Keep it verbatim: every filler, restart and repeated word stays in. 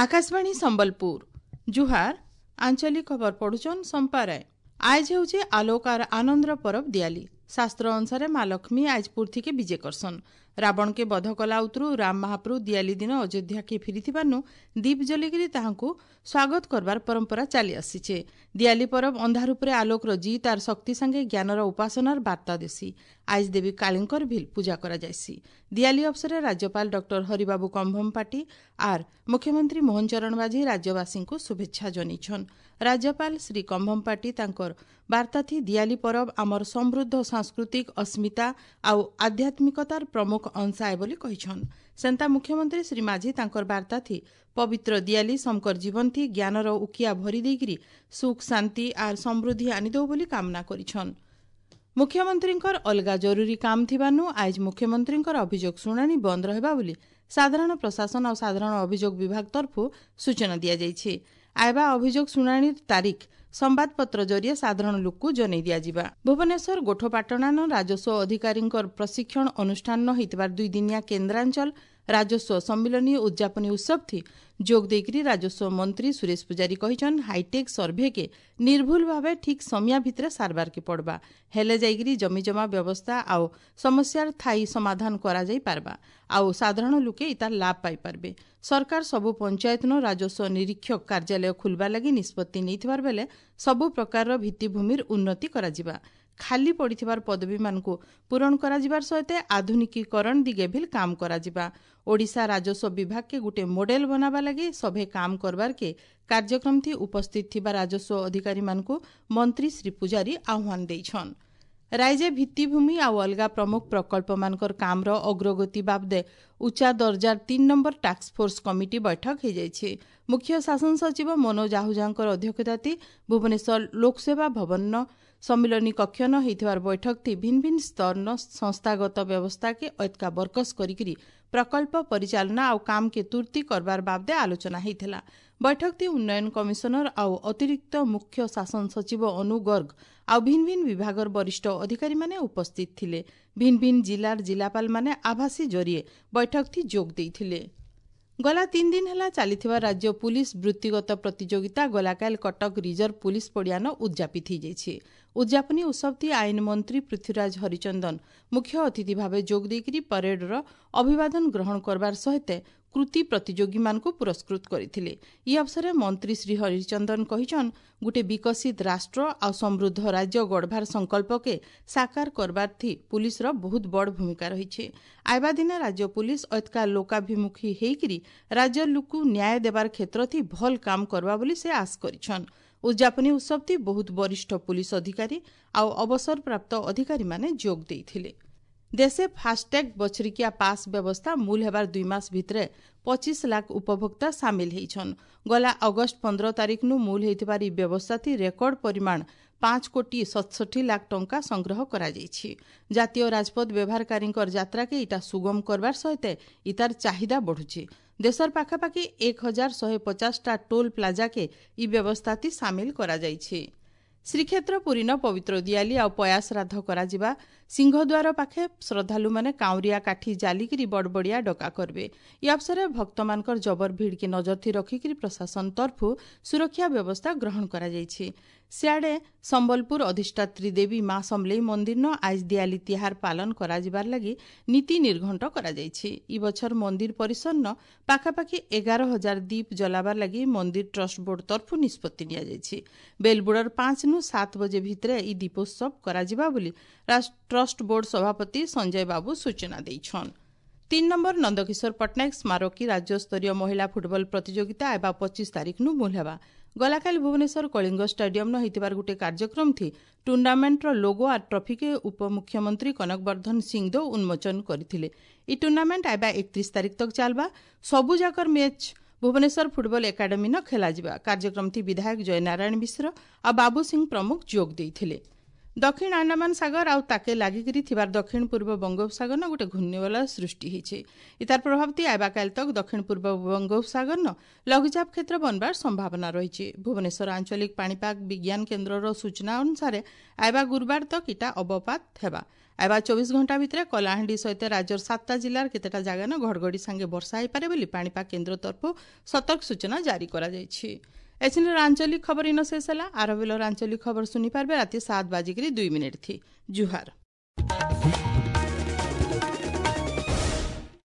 ଆକାଶବାଣୀ ସମ୍ବଲପୁର ଜୁହାର ଆଞ୍ଚଳିକ ଖବର ପଢୁଛନ୍ ସମ୍ପା ରାୟ ଆଏଜ ହେଉଛେ ଆଲୋକ ଆର୍ ଆନନ୍ଦର ପରବ ଦିଆଲି ଶାସ୍ତ୍ର ଅନୁସାରେ ମା ଲକ୍ଷ୍ମୀ ଆଏଜ ପୁର୍ଥିକେ ବିଜେ କରସନ୍ ରାବଣକେ ବଧ କଲା ଉତରୁ ରାମ ମହାପ୍ରଭୁ ଦିଆଲି ଦିନ ଅଯୋଧ୍ୟାକେ ଫିରିଥିବାରନୁ ଦୀପ ଜଲିକିରି ତାହାଙ୍କୁ ସ୍ୱାଗତ କରବାର ପରମ୍ପରା ଚାଲି ଆସିଛେ ଦିଆଲି ପରବ ଅନ୍ଧାର ଉପରେ ଆଲୋକର ଜିତ୍ ଆର୍ ଶକ୍ତି ସାଙ୍ଗେ ଜ୍ଞାନର ଉପାସନାର ବାର୍ତ୍ତା ଦେସି ଆଏଜ ଦେବୀ କାଳୀଙ୍କର ଭିଲ୍ ପୂଜା କରାଯାଏସି ଦିଆଲି ଅବସରରେ ରାଜ୍ୟପାଳ ଡକ୍ଟର ହରିବାବୁ କମ୍ଭମପାଟି ଆର୍ ମୁଖ୍ୟମନ୍ତ୍ରୀ ମୋହନ ଚରଣ ମାଝୀ ରାଜ୍ୟବାସୀଙ୍କୁ ଶୁଭେଚ୍ଛା ଜଣାଇଛନ୍ ରାଜ୍ୟପାଳ ଶ୍ରୀ କମ୍ଭମପାଟି ତାଙ୍କର ବାର୍ତ୍ତାଥି ଦିଆଲି ପରବ ଆମର ସମୃଦ୍ଧ ସାଂସ୍କୃତିକ ଅସ୍ମିତା ଆଉ ଆଧ୍ୟାତ୍ମିକତାର ପ୍ରମୁଖ ଅଂଶ ଆଏ ବୋଲି କହିଛନ୍ ସେନ୍ତା ମୁଖ୍ୟମନ୍ତ୍ରୀ ଶ୍ରୀ ମାଝୀ ତାଙ୍କର ବାର୍ତ୍ତାଥି ପବିତ୍ର ଦିଆଲି ସମକର ଜୀବନଥି ଜ୍ଞାନର ଉକିଆ ଭରି ଦେଇକିରି ସୁଖ ଶାନ୍ତି ଆର୍ ସମୃଦ୍ଧି ଆନିଦେଉ ବୋଲି କାମନା କରିଛନ୍ ମୁଖ୍ୟମନ୍ତ୍ରୀଙ୍କର ଅଲଗା ଜରୁରୀ କାମ ଥିବାନୁ ଆଏଜ ମୁଖ୍ୟମନ୍ତ୍ରୀଙ୍କର ଅଭିଯୋଗ ଶୁଣାଣି ବନ୍ଦ ରହିବା ବୋଲି ସାଧାରଣ ପ୍ରଶାସନ ଆଉ ସାଧାରଣ ଅଭିଯୋଗ ବିଭାଗ ତରଫରୁ ସୂଚନା ଦିଆଯାଇଛି ଆଇବା ଅଭିଯୋଗ ଶୁଣାଣିର ତାରିଖ ସମ୍ବାଦପତ୍ର ଜରିଏ ସାଧାରଣ ଲୋକକୁ ଜଣାଇ ଦିଆଯିବା ଭୁବନେଶ୍ୱର ଗୋଠପାଟଣାନ ରାଜସ୍ୱ ଅଧିକାରୀଙ୍କର ପ୍ରଶିକ୍ଷଣ ଅନୁଷ୍ଠାନ ହେଇଥିବାର ଦୁଇ ଦିନିଆ କେନ୍ଦ୍ରାଞ୍ଚଳ ରାଜସ୍ୱ ସମ୍ମିଳନୀ ଉଦ୍ଯାପନୀ ଉତ୍ସବଥି ଯୋଗ ଦେଇକରି ରାଜସ୍ୱ ମନ୍ତ୍ରୀ ସୁରେଶ ପୂଜାରୀ କହିଛନ୍ ହାଇଟେକ୍ ସର୍ଭେକେ ନିର୍ଭୁଲ ଭାବେ ଠିକ୍ ସମିଆ ଭିତରେ ସାରବାରକେ ପଡ଼ବା ହେଲେ ଯାଇକରି ଜମିଜମା ବ୍ୟବସ୍ଥା ଆଉ ସମସ୍ୟାର ଥାୟୀ ସମାଧାନ କରାଯାଇ ପାରବା ଆଉ ସାଧାରଣ ଲୋକେ ଇତାର ଲାଭ ପାଇପାରବେ ସରକାର ସବୁ ପଞ୍ଚାୟତନ ରାଜସ୍ୱ ନିରୀକ୍ଷକ କାର୍ଯ୍ୟାଳୟ ଖୋଲବା ଲାଗି ନିଷ୍ପତ୍ତି ନେଇଥିବାର ବେଲେ ସବୁ ପ୍ରକାରର ଭିତ୍ତିଭୂମିର ଉନ୍ନତି କରାଯିବା ଖାଲି ପଡ଼ିଥିବାର ପଦବୀମାନଙ୍କୁ ପୂରଣ କରାଯିବାର ସହିତ ଆଧୁନିକୀକରଣ ଦିଗେ ଭିଲ୍ କାମ କରାଯିବା ଓଡ଼ିଶା ରାଜସ୍ୱ ବିଭାଗକେ ଗୋଟେ ମଡେଲ ବନାବା ଲାଗି ସଭେ କାମ କରବାରକେ କାର୍ଯ୍ୟକ୍ରମଥି ଉପସ୍ଥିତ ଥିବା ରାଜସ୍ୱ ଅଧିକାରୀମାନଙ୍କୁ ମନ୍ତ୍ରୀ ଶ୍ରୀ ପୂଜାରୀ ଆହ୍ୱାନ ଦେଇଛନ୍ ରାଇଜେ ଭିତ୍ତିଭୂମି ଆଉ ଅଲଗା ପ୍ରମୁଖ ପ୍ରକଳ୍ପମାନଙ୍କର କାମର ଅଗ୍ରଗତି ବାବଦେ ଉଚ୍ଚା ଦର୍ଜାର ତିନି ନମ୍ବର ଟାସ୍କ ଫୋର୍ସ କମିଟି ବୈଠକ ହୋଇଯାଇଛି ମୁଖ୍ୟ ଶାସନ ସଚିବ ମନୋଜ ଆହୁଜାଙ୍କର ଅଧ୍ୟକ୍ଷତାତି ଭୁବନେଶ୍ୱର ଲୋକସେବା ଭବନ ସମ୍ମିଳନୀ କକ୍ଷନ ହେଇଥିବାର ବୈଠକଥି ଭିନ୍ନ ଭିନ୍ନ ସ୍ତରନ ସଂସ୍ଥାଗତ ବ୍ୟବସ୍ଥାକେ ଐତକା ବରକସ କରିକିରି ପ୍ରକଳ୍ପ ପରିଚାଳନା ଆଉ କାମକେ ତୁର୍ତି କରବାର ବାବଦେ ଆଲୋଚନା ହେଇଥିଲା ବୈଠକଥି ଉନ୍ନୟନ କମିଶନର ଆଉ ଅତିରିକ୍ତ ମୁଖ୍ୟ ଶାସନ ସଚିବ ଅନୁ ଗର୍ଗ ଆଉ ଭିନ୍ନ ଭିନ୍ନ ବିଭାଗର ବରିଷ୍ଠ ଅଧିକାରୀମାନେ ଉପସ୍ଥିତ ଥିଲେ ଭିନ୍ନ ଭିନ୍ନ ଜିଲ୍ଲାର ଜିଲ୍ଲାପାଳମାନେ ଆଭାସୀ ଜରିଏ ବୈଠକଥି ଯୋଗ ଦେଇଥିଲେ ଗଲା ତିନି ଦିନ ହେଲା ଚାଲିଥିବା ରାଜ୍ୟ ପୁଲିସ ବୃତ୍ତିଗତ ପ୍ରତିଯୋଗିତା ଗଲାକାଲ କଟକ ରିଜର୍ଭ ପୁଲିସ ପଡ଼ିଆନ ଉଦ୍ଯାପିତ ହୋଇଯାଇଛି ଉଦ୍ଯାପନୀ ଉତ୍ସବଟି ଆଇନ ମନ୍ତ୍ରୀ ପୃଥ୍ୱୀରାଜ ହରିଚନ୍ଦନ ମୁଖ୍ୟ ଅତିଥି ଭାବେ ଯୋଗ ଦେଇକରି ପରେଡର ଅଭିବାଦନ ଗ୍ରହଣ କରବାର ସହିତ କୃତି ପ୍ରତିଯୋଗୀମାନଙ୍କୁ ପୁରସ୍କୃତ କରିଥିଲେ ଇ ଅବସରରେ ମନ୍ତ୍ରୀ ଶ୍ରୀ ହରିଚନ୍ଦନ କହିଛନ୍ ଗୋଟେ ବିକଶିତ ରାଷ୍ଟ୍ର ଆଉ ସମୃଦ୍ଧ ରାଜ୍ୟ ଗଢ଼ବାର ସଂକଳ୍ପକେ ସାକାର କରବାରଥି ପୁଲିସର ବହୁତ ବଡ଼ ଭୂମିକା ରହିଛି ଆଇବା ଦିନ ରାଜ୍ୟ ପୁଲିସ ଐତକା ଲୋକାଭିମୁଖୀ ହେଇକିରି ରାଜ୍ୟ ଲୋକକୁ ନ୍ୟାୟ ଦେବାର କ୍ଷେତ୍ରଥି ଭଲ କାମ କରବା ବୋଲି ସେ ଆଶ କରିଛନ୍ ଉଦ୍ଯାପନୀ ଉତ୍ସବଥି ବହୁତ ବରିଷ୍ଠ ପୁଲିସ ଅଧିକାରୀ ଆଉ ଅବସରପ୍ରାପ୍ତ ଅଧିକାରୀମାନେ ଯୋଗ ଦେଇଥିଲେ ଦେଶେ ଫାସ୍ଟ୍ୟାଗ୍ ବଛରିକିଆ ପାସ୍ ବ୍ୟବସ୍ଥା ମୂଲ ହେବାର ଦୁଇ ମାସ ଭିତରେ ପଚିଶ ଲାଖ ଉପଭୋକ୍ତା ସାମିଲ ହେଇଛନ୍ ଗଲା ଅଗଷ୍ଟ ପନ୍ଦର ତାରିଖନୁ ମୂଲ ହେଇଥିବାର ଇ ବ୍ୟବସ୍ଥାଥି ରେକର୍ଡ ପରିମାଣ ପାଞ୍ଚ କୋଟି ସତଷଠି ଲାଖ ଟଙ୍କା ସଂଗ୍ରହ କରାଯାଇଛି ଜାତୀୟ ରାଜପଥ ବ୍ୟବହାରକାରୀଙ୍କର ଯାତ୍ରାକେ ଇଟା ସୁଗମ କରବାର ସହିତ ଇତାର ଚାହିଦା ବଢୁଛି ଦେଶର ପାଖାପାଖି ଏକ ହଜାର ଶହେ ପଚାଶଟା ଟୋଲ୍ ପ୍ଲାଜାକେ ଇ ବ୍ୟବସ୍ଥାଥି ସାମିଲ କରାଯାଇଛି ଶ୍ରୀକ୍ଷେତ୍ର ପୁରୀନ ପବିତ୍ର ଦିଆଲି ଆଉ ପୟା ଶ୍ରାଦ୍ଧ କରାଯିବା ସିଂହଦ୍ୱାର ପାଖେ ଶ୍ରଦ୍ଧାଳୁମାନେ କାଉଁରିଆ କାଠି ଜାଲିକିରି ବଡ଼ବଡ଼ିଆ ଡକା କରିବେ ଇ ଅବସରରେ ଭକ୍ତମାନଙ୍କର ଜବର ଭିଡ଼କେ ନଜରଥି ରଖିକିରି ପ୍ରଶାସନ ତରଫରୁ ସୁରକ୍ଷା ବ୍ୟବସ୍ଥା ଗ୍ରହଣ କରାଯାଇଛି ସିଆଡ଼େ ସମ୍ବଲପୁର ଅଧିଷ୍ଠାତ୍ରୀ ଦେବୀ ମା ସମଲେଇ ମନ୍ଦିରନ ଆଇଜ ଦିଆଲି ତିହାର ପାଳନ କରାଯିବାର ଲାଗି ନୀତି ନିର୍ଘଣ୍ଟ କରାଯାଇଛି ଇ ବଛର ମନ୍ଦିର ପରିସରନ ପାଖାପାଖି ଏଗାର ହଜାର ଦୀପ ଜଲାବାର ଲାଗି ମନ୍ଦିର ଟ୍ରଷ୍ଟ ବୋର୍ଡ ତରଫରୁ ନିଷ୍ପତ୍ତି ନିଆଯାଇଛି ବେଲବୁଡ଼ର ପାଞ୍ଚ ନୁ ସାତ ବଜେ ଭିତରେ ଇ ଦୀପୋତ୍ସବ କରାଯିବା ବୋଲି ଟ୍ରଷ୍ଟ ବୋର୍ଡ ସଭାପତି ସଞ୍ଜୟ ବାବୁ ସୂଚନା ଦେଇଛନ୍ ତିନି ନମ୍ବର ନନ୍ଦକିଶୋର ପଟ୍ଟନାୟକ ସ୍ମାରକୀ ରାଜ୍ୟସ୍ତରୀୟ ମହିଳା ଫୁଟବଲ ପ୍ରତିଯୋଗିତା ଏବା ପଚିଶ ତାରିଖନୁ ମୂଲ ହେବା ଗଲାକାଲି ଭୁବନେଶ୍ୱର କଳିଙ୍ଗ ଷ୍ଟାଡିୟମ୍ନ ହେଇଥିବାର ଗୋଟେ କାର୍ଯ୍ୟକ୍ରମଥି ଟୁର୍ଣ୍ଣାମେଣ୍ଟର ଲୋଗୋ ଆର୍ ଟ୍ରଫିକେ ଉପମୁଖ୍ୟମନ୍ତ୍ରୀ କନକବର୍ଦ୍ଧନ ସିଂଦେଓ ଉନ୍ମୋଚନ କରିଥିଲେ ଇ ଟୁର୍ଣ୍ଣାମେଣ୍ଟ ଆଇବା ଏକତିରିଶ ତାରିଖ ତକ ଚାଲବା ସବୁଯାକର ମ୍ୟାଚ୍ ଭୁବନେଶ୍ୱର ଫୁଟବଲ ଏକାଡେମୀନ ଖେଳାଯିବା କାର୍ଯ୍ୟକ୍ରମଥି ବିଧାୟକ ଜୟନାରାୟଣ ମିଶ୍ର ଆଉ ବାବୁ ସିଂ ପ୍ରମୁଖ ଯୋଗ ଦେଇଥିଲେ ଦକ୍ଷିଣ ଆଣ୍ଡାମାନ ସାଗର ଆଉ ତାକେ ଲାଗିକିରି ଥିବାର ଦକ୍ଷିଣ ପୂର୍ବ ବଙ୍ଗୋପସାଗରନ ଗୋଟେ ଘୂର୍ଣ୍ଣିବଳୟ ସୃଷ୍ଟି ହେଇଛେ। ଇତାର ପ୍ରଭାବତି ଆଇବା କାଲି ତକ ଦକ୍ଷିଣ ପୂର୍ବ ବଙ୍ଗୋପସାଗରନ ଲଘୁଚାପ କ୍ଷେତ୍ର ବନବାର ସମ୍ଭାବନା ରହିଛି। ଭୁବନେଶ୍ୱର ଆଞ୍ଚଳିକ ପାଣିପାଗ ବିଜ୍ଞାନ କେନ୍ଦ୍ରର ସୂଚନା ଅନୁସାରେ ଆଇବା ଗୁରୁବାର ତକ ଇଟା ଅବପାତ ହେବା। ଆଇବା ଚବିଶ ଘଣ୍ଟା ଭିତରେ କଳାହାଣ୍ଡି ସହିତ ରାଜ୍ୟର ସାତଟା ଜିଲ୍ଲାର କେତେଟା ଜାଗାନ ଘଡ଼ଘଡ଼ି ସାଙ୍ଗେ ବର୍ଷା ହେଇପାରେ ବୋଲି ପାଣିପାଗ କେନ୍ଦ୍ର ତରଫରୁ ସତର୍କ ସୂଚନା ଜାରି କରାଯାଇଛି। ଏଛିନର ଆଞ୍ଚଳିକ ଖବର ଇନ ଶେଷ ହେଲା। ଆର ବେଲର ଆଞ୍ଚଳିକ ଖବର ଶୁଣିପାରିବେ ରାତି ସାତ ବାଜିକିରି ଦୁଇ ମିନିଟ୍ ଥି। ଜୁହାର।